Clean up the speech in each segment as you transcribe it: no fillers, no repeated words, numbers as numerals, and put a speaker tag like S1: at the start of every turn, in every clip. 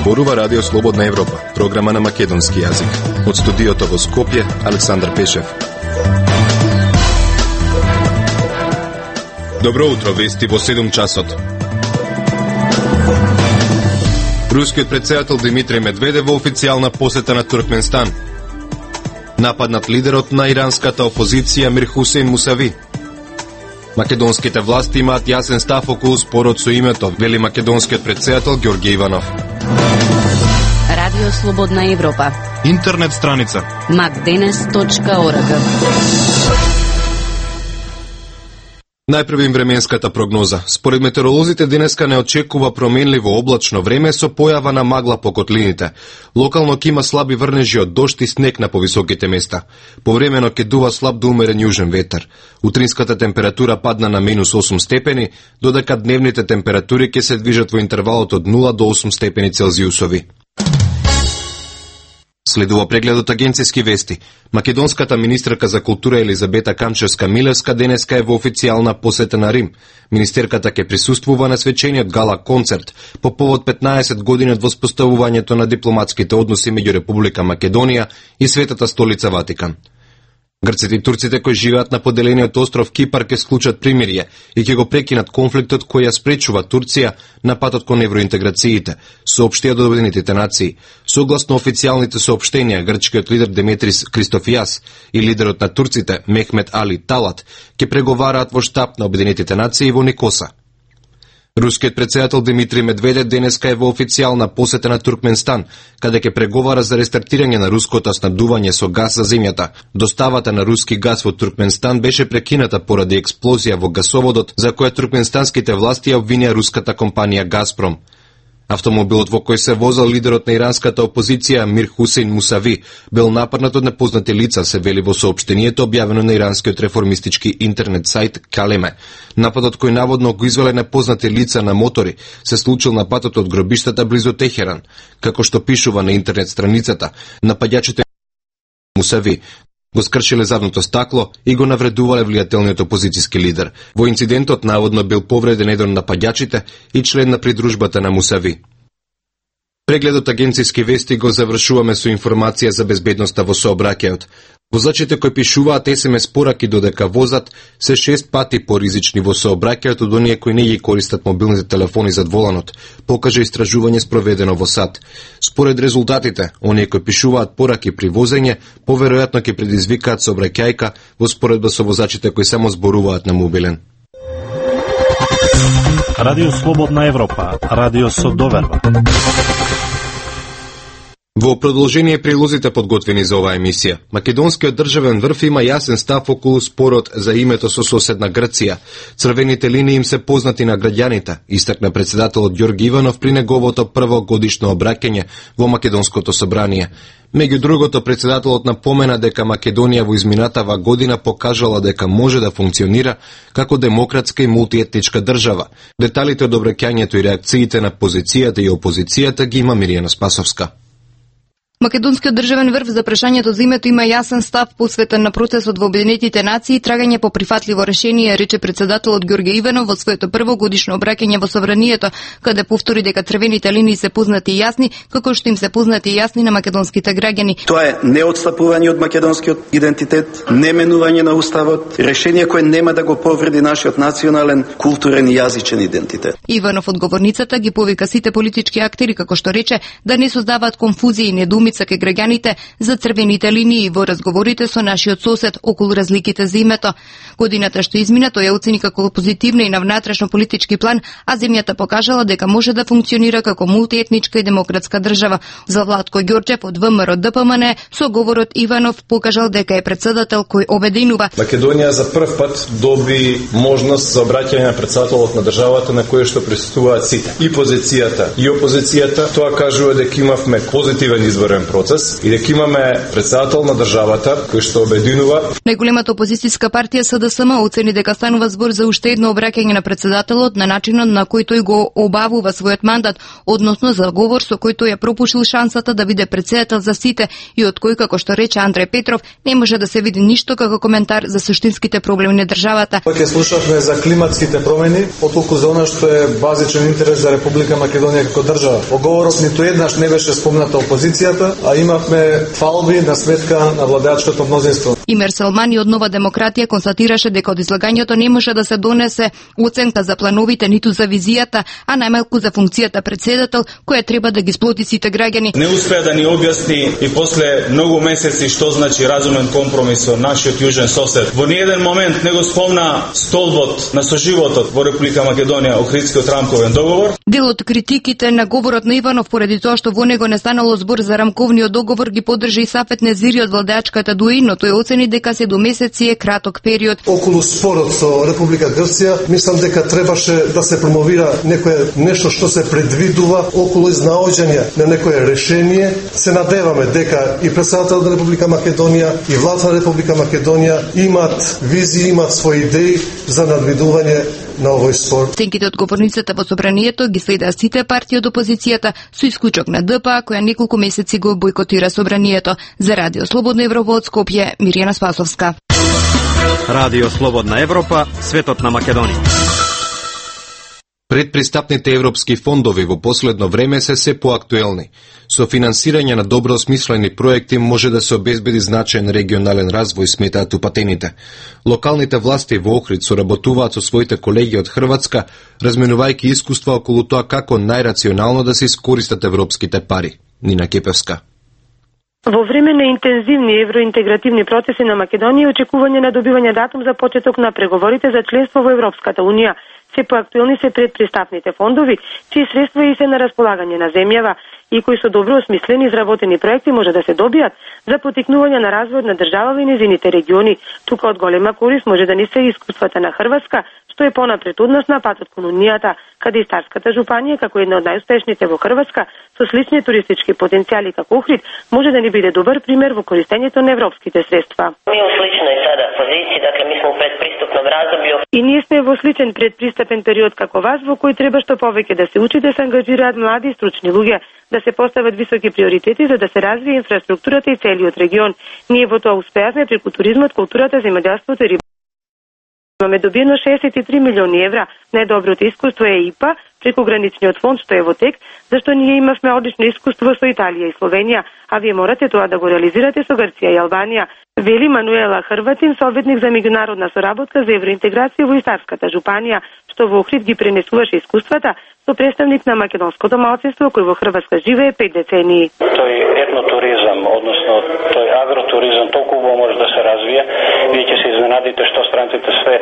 S1: Зборува Радио Слободна Европа, програма на македонски јазик. Од студиото во Скопје, Александар Пешев. Добро утро, вести во 7 часот. Рускиот претседател Димитри Медведев во официјална посета на Туркменстан. Нападнат лидерот на иранската опозиција Мир Хусейн Мусави. Македонските власти имаат јасен став околу спорот со името, вели македонскиот претседател Ѓорѓе Иванов.
S2: Радио Слободна Европа.
S3: Интернет страница
S2: macdenes.org.
S1: Најпрви временската прогноза. Според метеоролозите денеска не очекува променливо облачно време со појава на магла по котлините. Локално ќе има слаби врнежи од дожд и снег на повисоките места. Повремено ќе дува слаб до умерен јужен ветер. Утринската температура падна на -8 степени, додека дневните температури ќе се движат во интервалот од 0 до 8 степени Целзиусови. Следува прегледот агенцијски вести. Македонската министерка за култура Елизабета Камчевска-Милевска денеска е во официјална посета на Рим. Министерката ќе присуствува на свечениот гала концерт по повод 15 години од воспоставувањето на дипломатските односи меѓу Република Македонија и Светата столица Ватикан. Грците и турците кои живеат на поделениот остров Кипар ќе склучат примирие и ќе го прекинат конфликтот кој ја спречува Турција на патот кон евроинтеграциите, соопштија до Обединетите нации. Согласно официјалните соопштенија, грчкиот лидер Деметрис Кристофијас и лидерот на турците Мехмет Али Талат ќе преговараат во штаб на Обединетите нации во Никоса. Рускиот претседател Димитри Медведев денеска е во официјална посета на Туркменстан, каде ќе преговара за рестартирање на руското снабдување со газ за земјата. Доставата на руски газ во Туркменстан беше прекината поради експлозија во гасоводот, за која туркменстанските власти ја обвинија руската компанија Газпром. Автомобилот во кој се возел лидерот на иранската опозиција Мир Хусейн Мусави бил нападнат од непознати лица, се вели во соопштението објавено на иранскиот реформистички интернет сајт Калеме. Нападот кој наводно го извеле непознати лица на мотори се случил на патот од гробиштата близу Техеран. Како што пишува на интернет страницата, нападјачите Мусави го скршиле задното стакло и го навредувале влијателниот опозицијски лидер. Во инцидентот наводно бил повреден еден од нападјачите и член на придружбата на Мусави. Прегледот агенцијски вести го завршуваме со информација за безбедноста во сообраќајот. Возачите кои пишуваат СМС пораки додека возат се 6 пати поризични во сообраќајот од оние кои не ги користат мобилните телефони зад воланот, покажа истражување спроведено во САД. Според резултатите, оние кои пишуваат пораки при возење, поверојатно ќе предизвикаат сообраќајка во споредба со возачите кои само зборуваат на мобилен.
S3: Радио Слободна Европа, радио со доверба.
S1: Во продолжение прилозите подготвени за оваа емисија, македонскиот државен врв има јасен став околу спорот за името со соседна Грција. Црвените линии им се познати на граѓаните, истакна претседателот Ѓорѓе Иванов при неговото прво годишно обраќање во Македонското собрание. Меѓу другото, претседателот напомена дека Македонија во изминатава година покажала дека може да функционира како демократска и мултиетничка држава. Деталите од обраќањето и реакциите на позицијата и опозицијата ги има Миријана Спасовска.
S4: Македонскиот државен врв за прашањето за името има јасен став посветен на процесот во Обединетите нации и трагање по прифатливо решение, рече претседателот Ѓорѓе Иванов во своето прво годишно обраќање во собранието, каде повтори дека црвените линии се познати и јасни, како што им се познати и јасни на македонските граѓани.
S5: Тоа е неотстапување од македонскиот идентитет, неменување на уставот, решение кое нема да го повреди нашиот национален, културен и јазичен идентитет.
S4: Иванов од говорницата ги повика сите политички актери, како што рече, да не создаваат конфузија и недоумица кај граѓаните за црвените линии во разговорите со нашиот сосед околу разликите за името. Годината што измина тој ја оцени како позитивна и на внатрешно политички план, а земјата покажала дека може да функционира како мултиетничка и демократска држава. За Владко Ѓорчев од ВМРО ДПМН со говорот Иванов покажал дека е претседател кој обединува.
S6: Македонија за прв пат доби можност за обраќање на претседателот на државата на кој што присуствуваат сите. И позицијата, и опозицијата. Тоа кажува дека имавме позитивен изборен мирен процес и дека имаме председател на државата кој што обединува.
S4: Најголемата опозицијска партија СДСМ оцени дека станува збор за уште едно обраќање на председателот на начинот на кој тој го обавува својот мандат, односно за говор со кој тој ја пропушил шансата да биде председател за сите и од кој, како што рече Андреј Петров, не може да се види ништо како коментар за суштинските проблеми на државата.
S7: Ќе слушавме за климатските промени, отколку за она што е базичен интерес за Република Македонија како држава. Во говорот ниту еднаш не беше спомната опозицијата, а имавме фалби на сметка на владеачкото мнозинство.
S4: Имер Селмани од Нова демократија констатираше дека од излагањето не може да се донесе оценка за плановите ниту за визијата, а најмалку за функцијата председател, која треба да ги сплоти сите граѓани.
S8: Не успеа да ни објасни и после многу месеци што значи разумен компромис со нашиот јужен сосед. Во ниеден момент не го спомна столбот на соживотот во Република Македонија, Охридскиот рамковен договор.
S4: Дел од критиките на говорот на Иванов поради тоа што во него не станало збор за рамковниот договор ги поддржи и Сафет Незири од владеачката дуи, но тој оцени дека 7 месеци е краток период.
S9: Околу спорот со Република Грција, мислам дека требаше да се промовира нешто што се предвидува околу изнаоѓање на некое решение. Се надеваме дека и председател на Република Македонија и владата на Република Македонија имаат визии, имаат свои идеи за надвидување на овој спор.
S4: Оценките од говорницата во собранието ги следаа сите партии од опозицијата, со исклучок на ДПА, која неколку месеци го бојкотира собранието. За Радио Слободна Европа од Скопје, Мирјана Спасовска.
S3: Радио Слободна Европа, светот на Македонија.
S1: Предпристапните европски фондови во последно време се поактуелни. Со финансирање на добро осмислени проекти може да се обезбеди значаен регионален развој, сметаат упатените. Локалните власти во Охрид соработуваат со своите колеги од Хрватска, разменувајќи искуства околу тоа како најрационално да се искористат европските пари. Нина Кепевска.
S10: Во време на интензивни евроинтегративни процеси на Македонија, очекување на добивање датум за почеток на преговорите за членство во Европската Унија, се поактуелни се предпристапните фондови, чии средства и се на располагање на земјава и кои со добро осмислени изработени проекти може да се добијат за потикнување на развојот на државава и незините региони. Тука од голема корист може да ни се искуствата на Хрватска, што е понапред од нас на патот кон Унијата, каде и Старската жупанија, како една од најуспешните во Хрватска, со слични туристички потенцијали како Охрид, може да ни биде добар пример во користењето на европските средства.
S11: Ми у сличној сада позиција, дакле ми сме у предпристапном раздобју.
S10: И ние сме во сличен предпристапен период како вас, во кој треба што повеќе да се учи, да се ангажираат млади и стручни луѓе, да се постават високи приоритети за да се развие инфраструктурата и целиот регион. Ние во тоа успеавме преку туризмот, културата, земјоделството и рибарството. Имаме добиено 63 милиони евра. Најдоброто искуство е ИПА, преку граничниот фонд што е во тек, зашто ние имавме одлично искуство со Италија и Словенија, а вие морате тоа да го реализирате со Грција и Албанија. Вели Мануела Хрватин, советник за меѓународна соработка за евроинтеграција во Старската жупанија, што во Охрид ги пренесуваше искуствата со представник на македонското малцинство кој во Хрватска живее 5 децении.
S12: Тој етнотуризам, односно тој агротуризам толку убаво може да се развие. Вие ќе се изненадите што странците све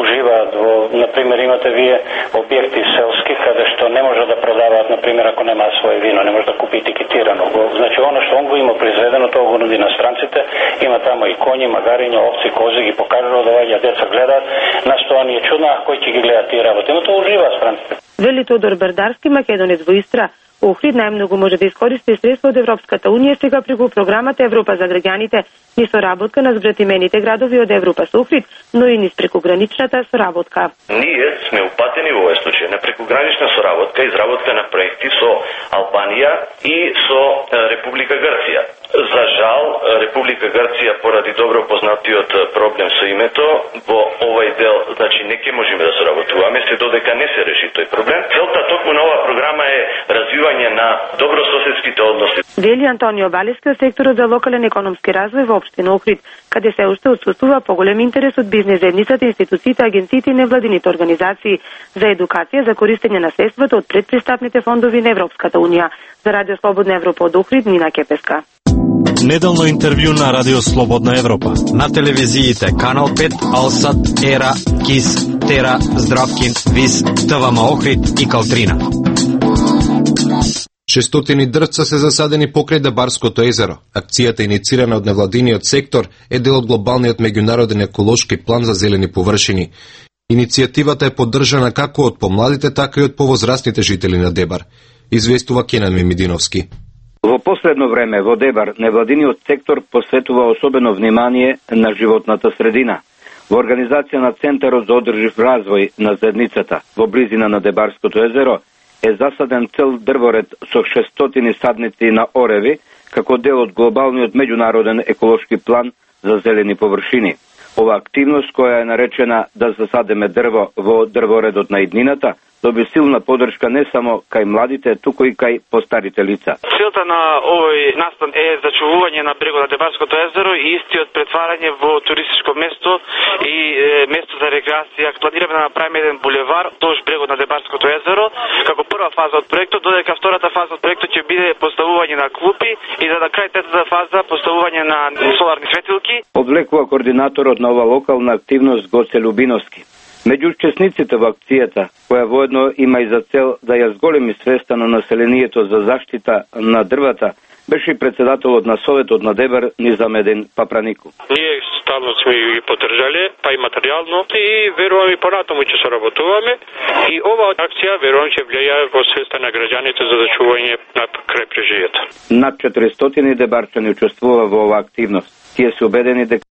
S12: уживаат во, например, имате вие објекти селски каде што не може да продаваат, например, ако немаат свое вино, не може да купи етикетирано. Значи оно што он го има произведено, тоа го нуди на странците. Има тамо и коњи, магариња, овци, кози, ги покажува да ваѓа деца гледаат. Нас тоа ни е чудно, а кој ќе ги гледа тие работи? Но тоа уживаат странците.
S10: Вели Тодор Бердарски, македонец во Истра. Охрид најмногу може да искористи средства од Европската Унија сега преку програмата Европа за граѓаните, ни соработка на збратимените градови од Европа со Охрид, но и низ прекуграничната соработка.
S13: Ние сме упатени во овој случај на прекугранична соработка, изработка на проекти со Албанија и со Република Грција. За жал, Република Грција поради добро познатиот проблем со името, во овој дел, значи не ќе можеме да соработуваме се додека не се реши тој проблем. Целта токму на оваа програма е развивање на добрососедските односи.
S10: Вели Антонио Балески од секторот за локален економски развој во општина Охрид, каде се уште отсуствува поголем интерес од бизнес заедницата, институциите, агенциите и невладините организации за едукација за користење на средствата од предпристапните фондови на Европската Унија. За Радио Слободна Европа од Охрид, Нина Кепеска.
S3: Неделно интервју на Радио Слободна Европа.
S14: На телевизиите Канал 5, Алсат, Ера, Кис, Тера, Здравкин, Вис, ТВМ Охрид и Калтрина.
S1: 600 дрвца се засадени покрај Дабарското езеро. Акцијата, иницирана од невладиниот сектор, е дел од глобалниот меѓународен еколошки план за зелени површини. Иницијативата е поддржана како од помладите, така и од повозрастните жители на Дебар, известува Кенан Мемидиновски.
S15: Во последно време во Дебар невладиниот сектор посветува особено внимание на животната средина. Во организација на Центарот за одржив развој на заедницата во близина на Дебарското езеро е засаден цел дрворед со 600 садници на ореви како дел од глобалниот меѓународен еколошки план за зелени површини. Ова активност, која е наречена да засадеме дрво во дрворедот на иднината, доби силна поддршка не само кај младите, туку и кај постарите лица.
S16: Целта на овој настан е зачувување на брегот на Дебарското езеро и истиот претварање во туристичко место и место за рекреација. Планираме да направиме еден булевар вдолж брегот на Дебарското езеро како прва фаза од проектот, додека втората фаза од проектот ќе биде поставување на клупи и на крај третата фаза поставување на соларни светилки.
S15: Одвлекува координаторот на ова локална активност Гоце Любиновски. Меѓу учесниците во акцијата, која воедно има и за цел да ја зголеми свеста на населението за заштита на дрвата, беше и председателот на Советот на Дебар Низамедин Папранику.
S17: Ние стално сме ги поддржале, па и материјално, и веруваме и понатаму ќе соработуваме. И оваа акција верувам ќе влијае во свеста на граѓаните за зачување на крајбрежието.
S15: Над 400 дебарчани учествува во оваа активност. Тие се убедени дека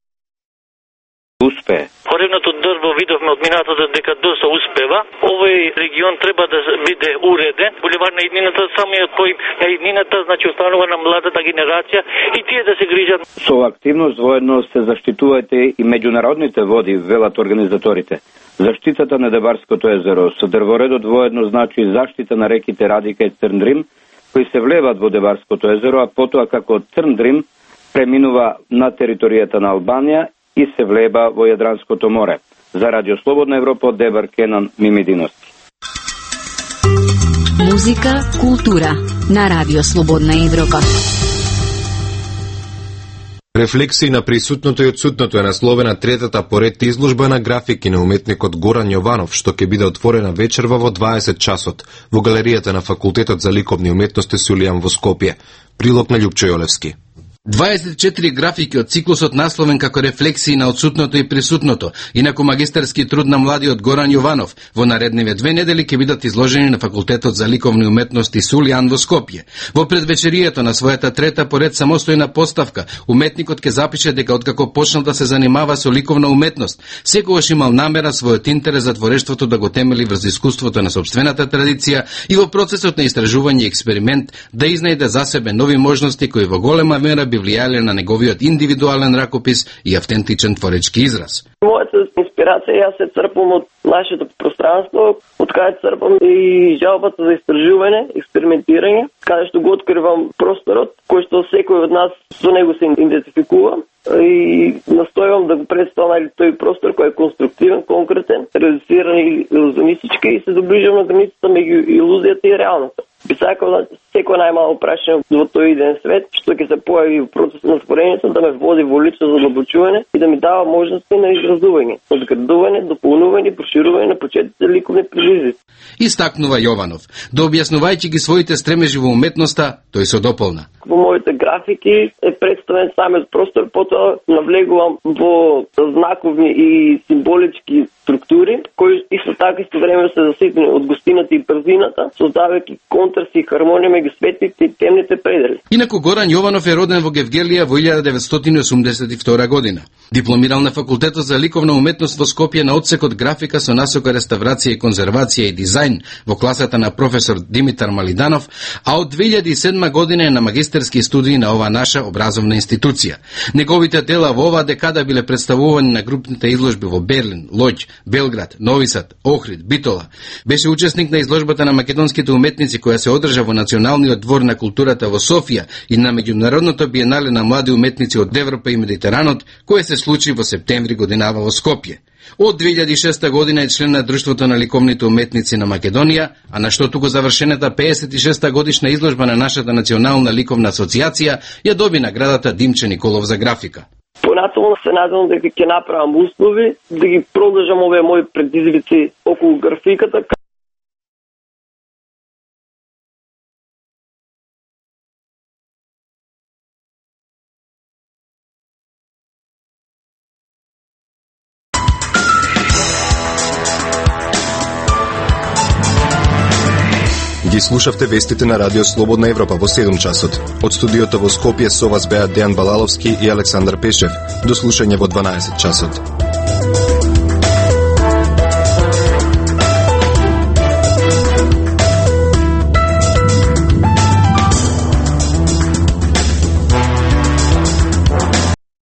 S15: успее.
S18: Коревното дрво видовме од минатото дека доста успева. Овој регион треба да биде уреден. Булевар на иднината, самиот поим на иднината, значи останува на младата генерација и тие да се грижат.
S15: Со активност воедно се заштитувајте и меѓународните води, велат организаторите. Заштитата на Дебарското езеро со дрворедот воедно значи заштита на реките Радика и Црндрим, кои се влеват во Дебарското езеро, а потоа како Црндрим преминува на територијата на Албанија и се влеба во Јадранското море. За Радио Слободна Европа од Дебар, Кенан Мимидиновски.
S2: Музика, култура на Радио Слободна Европа.
S1: Рефлексии на присутното и отсутното е насловена третата поред изложба на графики на уметникот Горан Јованов, што ќе биде отворена вечерва во 20 часот во галеријата на Факултетот за ликовни уметности Сулијан во Скопје. Прилог на Љупчо Јолевски.
S19: 24 графики од циклусот насловен како рефлексии на отсутното и присутното, инаку магистерски труд на младиот Горан Јованов, во наредниве 2 недели ќе бидат изложени на Факултетот за ликовни уметности Сулијан во Скопје. Во предвечерието на својата трета поред самостојна поставка, уметникот ќе запише дека откако почнал да се занимава со ликовна уметност, секогаш имал намера својот интерес за творештвото да го темели врз искуството на сопствената традиција и во процесот на истражување и експеримент да изнајде за себе нови можности кои во голема мера би влијале на неговиот индивидуален ракопис и автентичен творечки израз.
S20: Мојата инспирација јас се црпам од нашето пространство, од каде црпам и жалбата за истражување, експериментирање, каде што го откривам просторот, кој што секој од нас со него се идентификува и настојувам да го представам тој простор кој е конструктивен, конкретен, реализиран и илузионистички и се доближам на границата меѓу илузијата и реалноста. Би сакал да секој најмало прашање во тој иден свет, што ќе се појави во процесот на створењето, да ме води во лично задлабочување и да ми дава можности на изразување, одградување, дополнување, проширување на почетните ликовни предизвици.
S19: Истакнува Јованов, да објаснувајќи ги своите стремежи во уметноста, тој се дополна.
S20: Во моите графики е представен самиот простор, потоа навлегувам во знаковни и символички структури, кои исто така истовремено се заситени од гостината и брзината, создавајќи контраст и хармонија меѓу светлите и темните предели.
S19: Инаку Горан Јованов е роден во Гевгелија во 1982 година. Дипломирал на Факултетот за ликовна уметност во Скопје на одсекот графика со насока реставрација и конзервација и дизајн во класата на професор Димитар Малиданов, а од 2007 година е на магистерски студии на ова наша образовна институција. Неговите дела во оваа декада биле представувани на групните изложби во Берлин, Лоѓ, Белград, Нови Сад, Охрид, Битола. Беше учесник на изложбата на македонските уметници која се одржа во Националниот двор на културата во Софија и на меѓународното биенале на млади уметници од Европа и Медитеранот, кое се случи во септември годинава во Скопје. Од 2006 година е член на Друштвото на ликовните уметници на Македонија, а на што туку завршената 56 годишна изложба на нашата Национална ликовна асоциација ја доби наградата Димче Николов за графика.
S20: Понатаму се надевам дека ќе направам услови да ги продолжам овие мои предизвици околу графиката.
S1: Ги слушавте вестите на Радио Слободна Европа во 7 часот. Од студиото во Скопје со вас беа Дејан Балаловски и Александар Пешев. До слушање во 12 часот.